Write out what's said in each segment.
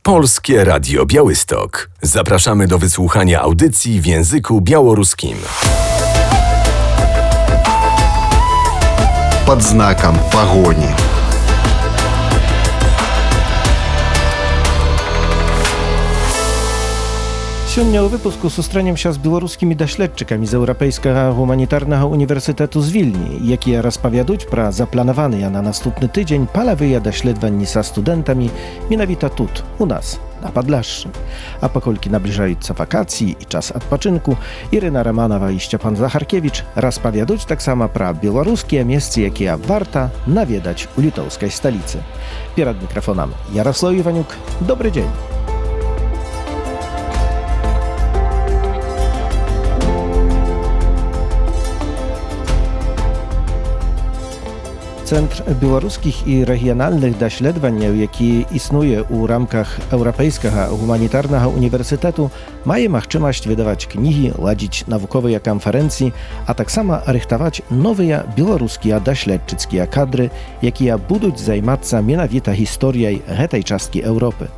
Polskie Radio Białystok. Zapraszamy do wysłuchania audycji w języku białoruskim. Под знаком погони. Сёння ў выпуску сустрэнемся з беларускімі даследчыкамі з Еўрапейскага гуманітарнага універсітэту з Вільні, якія распавядуць пра запланаваныя на наступны тыдзень палавыя даследаванні са студэнтамі менавіта тут, у нас, на Падляшшы. А паколькі набліжаюцца вакацыі і час адпачынку, Ірына Раманова і Сцяпан Захаркевіч распавядуць таксама пра беларускія месцы, якія варта наведаць у літоўскай сталіцы. Перад мікрафонам Ярослаў Іванюк. Добры дзень! Цэнтр беларускіх і рэгіянальных даследаванняў, які існуе ў рамках Еўрапейскага гуманітарнага універсітэту, мае магчымасць выдаваць кнігі, ладзіць навуковыя канферэнцыі, а таксама рыхтаваць новыя беларускія даследчыцкія кадры, якія будуць займацца менавіта гісторыяй гэтай часткі Еўропы.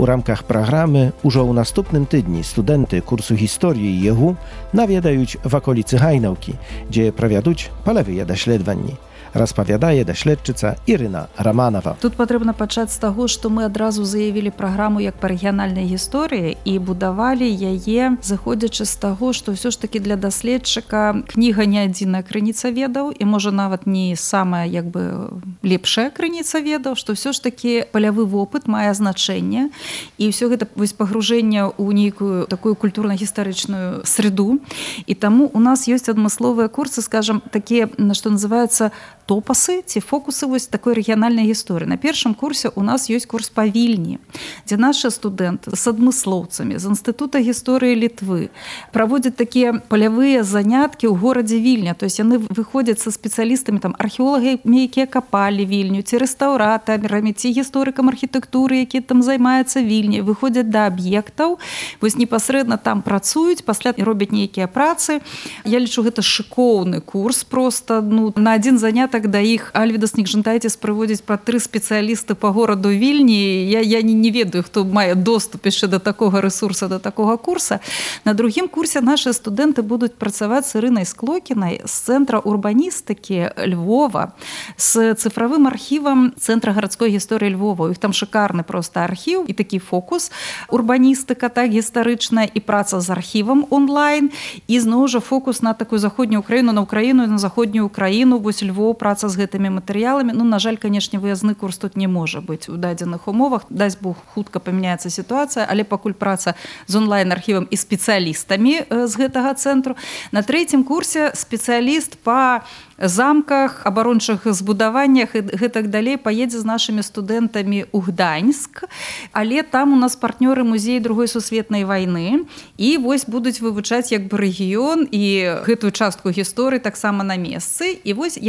У рамках праграмы ўжо ў наступным тыдні студэнты курсу гісторыі ЕГУ наведаюць ваколіцы Гайнаўкі, дзе правядуць палавыя даследаванні. Распавядае даследчыца Ірына Раманова. Тут патрэбна пачаць з таго, што мы адразу заявілі праграму як па рэгіянальнай гісторыі і будавалі яе, зыходзячы з таго, што ўсё ж такі для даследчыка кніга не адзіная крыніца ведаў і можа нават не самая лепшая крыніца ведаў, што ўсё ж такі палявы вопыт мае значэнне і ўсё гэта пагружэнне ў нейкую такую культурна-гістарычную среду. І таму у нас ёсць адмысловыя курсы, скажам, такія, што называюцца топасы ці фокусы вось такой рэгіянальнай гісторыі. На першым курсе у нас ёсць курс па Вільні, дзе нашы студэнты з адмыслоўцамі з Інстытута гісторыі Літвы праводзяць такія палявыя заняткі ў горадзе Вільня. То есть яны выходзяць са спецыялістамі, археолагамі, якія капалі Вільню, ці рэстаўратарамі, ці гісторыкам архітэктуры, які там займаюцца Вільні, выходзяць да аб'ектаў, вось непасрэдна там працуюць, пасля робяць нейкія працы. Я лічу, гэта шыкоўны курс, просто на адзін занятак да іх Альвідас Нікжантайціс прыводзіць пра 3 спецыялісты па гораду Вільні. Я не ведаю, хто мае доступ яшчэ да такога рэсурса, да такога курса. На другім курсе нашы студэнты будуць працаваць з Ірынай Склокінай з Цэнтра урбаністыкі Львова, з цифравым архівам Цэнтра гарадской гісторыі Львова. У іх там шыкарны проста архіў і такі фокус урбаністыка, так, гістарычная і праца з архівам онлайн, і зноў жа фокус на такую заходнюю Украіну, на Украіну і на заходнюю Украіну, вось Львов, праца з гэтымі матэрыяламі. На жаль, канешне, выязны курс тут не можа быць у дадзеных умовах. Дасць Бог, хутка памяняецца сітуацыя, але пакуль праца з онлайн-архівам і спецыялістамі з гэтага цэнтру. На трэцім курсе спецыяліст па замках, абарончых збудаваннях і гэтак далей паедзе з нашымі студэнтамі ў Гданьск, але там у нас партнёры музеі Другой сусветнай вайны і вось будуць вывучаць рэгіён і гэтую частку гісторыі таксама на месцы. І вось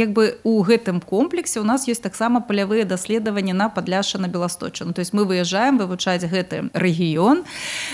у гэтым комплексе у нас ёсць таксама палявыя даследаванні на Падляшша, на Беласточчыну. То есть мы выязджаем вывучаць гэты рэгіён.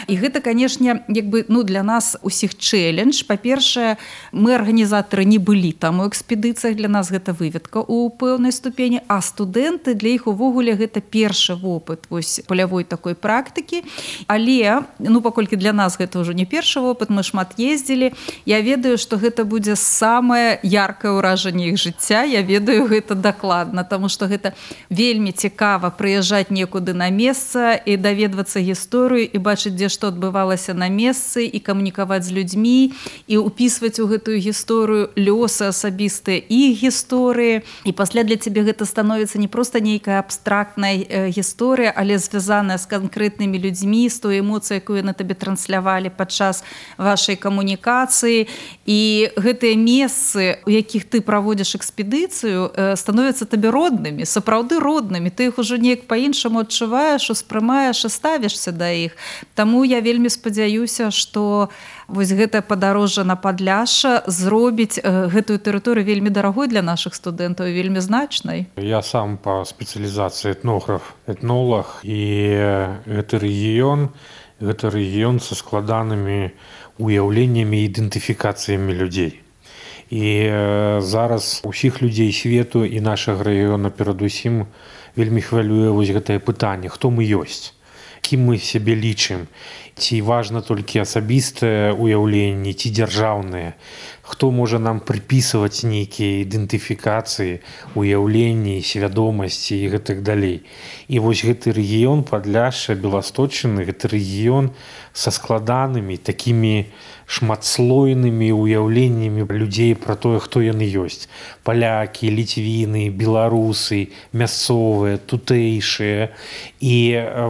І гэта, канешне, для нас усіх чэлендж. Па-першае, мы арганізатары не былі там у экспедыцыях, для нас гэта выведка ў пэўнай ступені, а студэнты для іх увогуле гэта першы вопыт вось палявой такой практыкі. Але, паколькі для нас гэта ўжо не першы вопыт, мы шмат ездзілі, я ведаю, што гэта будзе самае яркае ўражанне іх жыцця. Я ведаю гэта дакладна, таму што гэта вельмі цікава прыязджаць некуды на месца і даведвацца гісторыю і бачыць, дзе што адбывалася на месцы, і камунікаваць з людзьмі, і ўпісваць у гэтую гісторыю лёсы асабістыя іх гісторыі. І пасля для цябе гэта становіцца не проста нейкая абстрактная гісторыя, але звязаная з канкрэтнымі людзьмі, з той эмоцыяй, якую на табе транслявалі падчас вашай камунікацыі. І гэтыя месцы, у якіх ты праводзіш экспедыцыю, становяцца табе роднымі, сапраўды роднымі. Ты іх ужо неяк па-іншаму адчуваеш, успрымаеш і ставішся да іх. Таму я вельмі спадзяюся, што вось гэтае падарожжа на Падляшша зробіць гэтую тэрыторыю вельмі дарагой для нашых студэнтаў і вельмі значнай. Я сам па спецыялізацыі этнограф, этнолог, і гэты рэгіён са складанымі уяўленнямі і ідэнтыфікацыямі людзей. І зараз усіх людзей свету і нашага рэгіёна перадусім вельмі хвалюе вось гэтае пытанне, хто мы ёсць. кім мы сябе лічым. Ці важна толькі асабістае ўяўленне, ці дзяржаўнае. Хто можа нам прыпісваць нейкія ідэнтыфікацыі, уяўленні, свядомасці і гэтак далей. І вось гэты рэгіён Падляшша, Беласточчыны, гэты рэгіён са складанымі, такімі шматслойнымі уяўленнямі людзей пра тое, хто яны ёсць. Палякі, ліцвіны, беларусы, мясцовыя, тутэйшыя. І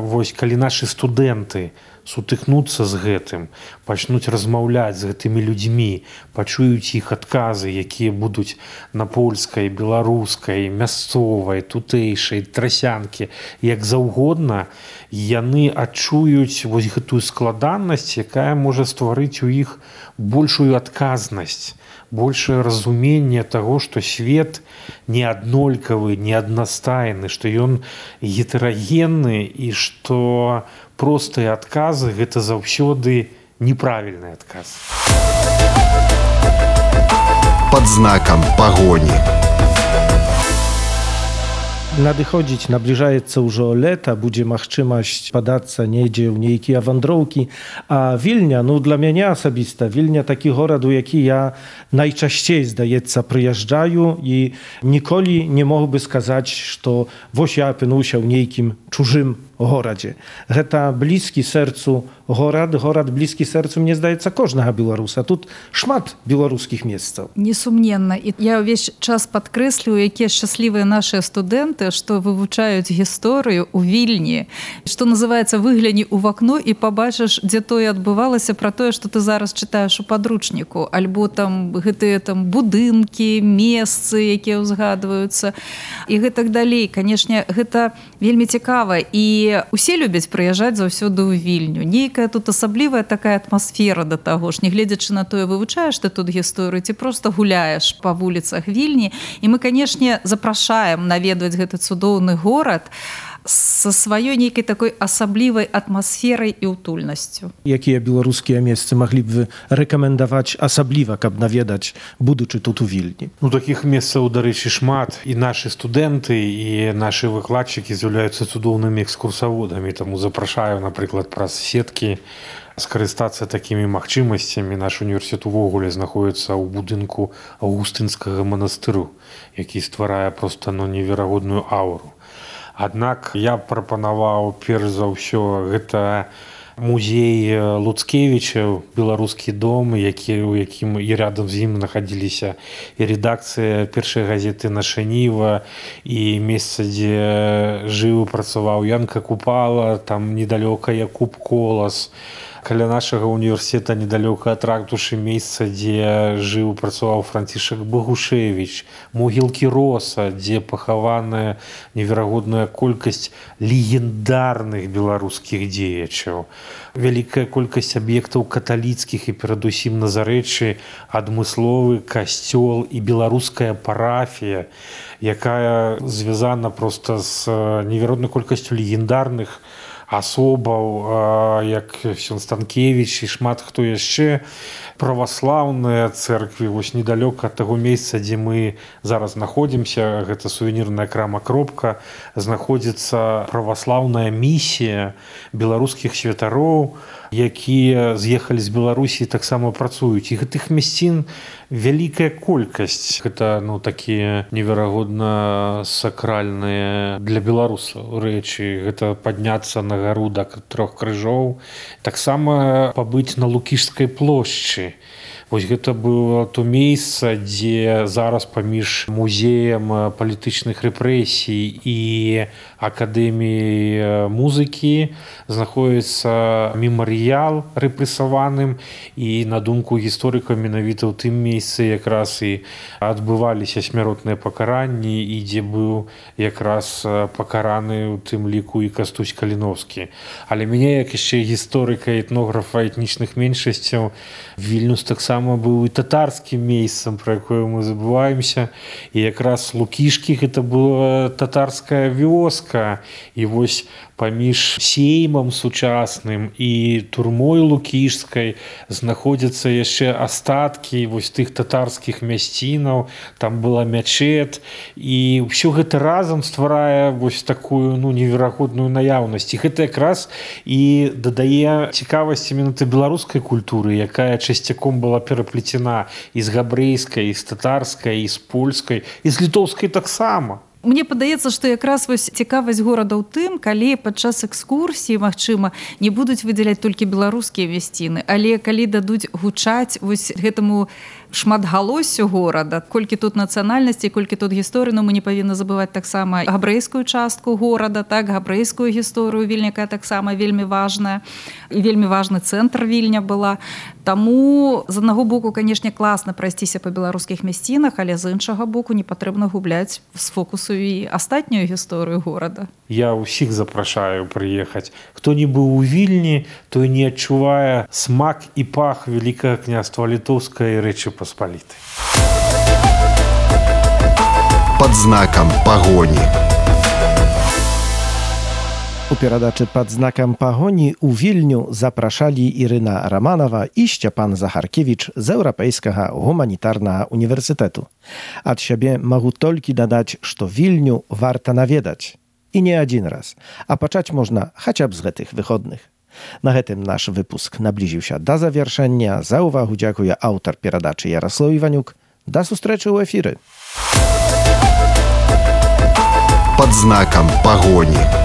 вось калі нашы студэнты сутыкнуцца з гэтым, пачнуць размаўляць з гэтымі людзьмі, пачуюць іх адказы, якія будуць на польскай, беларускай, мясцовай, тутэйшай, трасянкі, як заўгодна, яны адчуюць вось гэтую складанасць, якая можа стварыць у іх большую адказнасць, большее разуменне таго, што свет не аднолькавы, не аднастайны, што ён гетэрагенны і што простыя адказы – гэта заўсёды неправільны адказ. Под знаком погони. Надыходзіць, набліжаецца ўжо лета, будзе магчымасць падацца недзе ў нейкія вандроўкі. А Вільня, для мяне асабіста, Вільня такі горад, у які я найчасцей, здаецца, прыязджаю і ніколі не мог бы сказаць, што вось я апынуўся ў нейкім чужым горадзе. Гэта блізкі сэрцу горад блізкі сэрцу, мне здаецца, кожнага беларуса. Тут шмат беларускіх месцаў. Несумненна. І я ўвесь час падкрэслю, якія шчаслівыя нашыя студэнты, што вывучаюць гісторыю ў Вільні. Што называецца, выгляні ў вакно і пабачыш, дзе тое адбывалася, пра тое, што ты зараз чытаеш у падручніку. Альбо там гэтыя будынкі, месцы, якія ўзгадваюцца. І гэтак далей. Канешне, гэта вельмі цікава. І усе любяць прыязджаць заўсёды ў Вільню. Нейкая тут асаблівая такая атмасфера да таго ж, нягледзячы на тое, вывучаеш ты тут гісторыю, ці проста гуляеш па вуліцах Вільні. І мы, канешне, запрашаем наведваць гэты цудоўны горад са сваёй нейкай такой асаблівай атмасферай і утульнасцю. Якія беларускія месцы маглі б вы рэкамендаваць асабліва, каб наведаць, будучы тут у Вільні? Такіх месцаў, дарэчы, шмат. І нашы студэнты, і нашы выкладчыкі з'яўляюцца цудоўнымі экскурсаводамі. Таму запрашаю, напрыклад, праз сеткі скарыстацца такімі магчымасцямі. Наш універсітэт увогуле знаходіцца ў будынку Аўгустынскага манастыру, які стварае проста неверагодную ауру. Аднак я прапанаваў перш за ўсё гэта музей Луцкевіча, беларускі дом, у якім і рядом з ім знаходзіліся і рэдакцыя першай газеты «Наша Ніва», і месца, дзе жыў і працаваў Янка Купала, там недалёка Якуб Колас. Каля нашага універсітэта недалёка ад ратушы месца, дзе жыў і працаваў Францішак Багушевіч, могілкі Роса, дзе пахаваная неверагодная колькасць легендарных беларускіх дзеячаў. Вялікая колькасць аб'ектаў каталіцкіх і перадусім на Зарэччы, адмысловы касцёл і беларуская парафія, якая звязана проста з неверагоднай колькасцю легендарных асобаў, як Ксёндз Станкевіч і шмат хто яшчэ. Праваслаўныя цэрквы, вось недалёка ад таго месца, дзе мы зараз знаходзімся, гэта сувенірная крама «Кропка», знаходзіцца праваслаўная місія беларускіх святароў, якія з'ехалі з Беларусі і таксама працуюць. І гэтых мясцін вялікая колькасць. Гэта такія неверагодна сакральныя для беларусаў рэчы. Гэта падняцца на гару да Трох крыжоў. Таксама пабыць на Лукішскай плошчы. Вось гэта было то месца, дзе зараз паміж музеем палітычных рэпрэсій і акадэміяй музыкі знаходіцца мемарыял рэпрэсаваным, і на думку гісторыкаў менавіта ў тым месцы якраз і адбываліся смяротныя пакаранні, і дзе быў якраз пакараны у тым ліку і Кастусь Каліновскі. Але мяне, як яшчэ гісторыка і этнографа этнічных меншасцяў, Вільнюс таксама быў і татарскім месцам, пра якое мы забываемся. І якраз Лукішкі гэта была татарская вёска. І вось паміж сеймам сучасным і турмой Лукішскай знаходзяцца яшчэ астаткі вось тых татарскіх мясцінаў. Там была мячэт, і ўсё гэта разам стварае вось такую неверагодную наяўнасць. І гэта гэта якраз і дадае цікавасць менавіта беларускай культуры, якая часцяком была пераплецена і з габрэйскай, і з татарскай, і з польскай, і з літоўскай таксама. Мне падаецца, што якраз вось цікавасць горада ў тым, калі падчас экскурсіі, магчыма, не будуць выдзяляць толькі беларускія вясціны, але калі дадуць гучаць вось гэтаму шматгалоссю горада, колькі тут нацыянальнасці, колькі тут гісторыі, но мы не павінны забываць таксама габрэйскую частку горада, так, габрэйскую гісторыю Вільня, якая таксама вельмі важная, і вельмі важны цэнтр Вільня была. Таму, з аднаго боку, канешне, класна прайсціся па беларускіх мясцінах, але з іншага боку не патрэбна губляць з фокусу і астатнюю гісторыю горада. Я ўсіх запрашаю прыехаць. Хто не быў у Вільні, той не адчувае смак і пах Вялікага княства Літоўскай Рэчы Паспалітай. Под знаком погони. У перадачы «Пад знакам пагоні» у Вільню запрашалі Ірына Раманова і Сцяпан Захаркевіч з Еўрапейскага гуманітарнага універсітэту. Ад сябе магу толькі дадаць, што Вільню варта наведаць. І не адзін раз, а пачаць можна хаця б з гэтых выходных. На гэтым наш выпуск наблізіўся да завяршэння. За ўвагу дзякуе аўтар перадачы Яраслаў Іванюк. Да сустрэчы ў эфіры. Под знаком погони.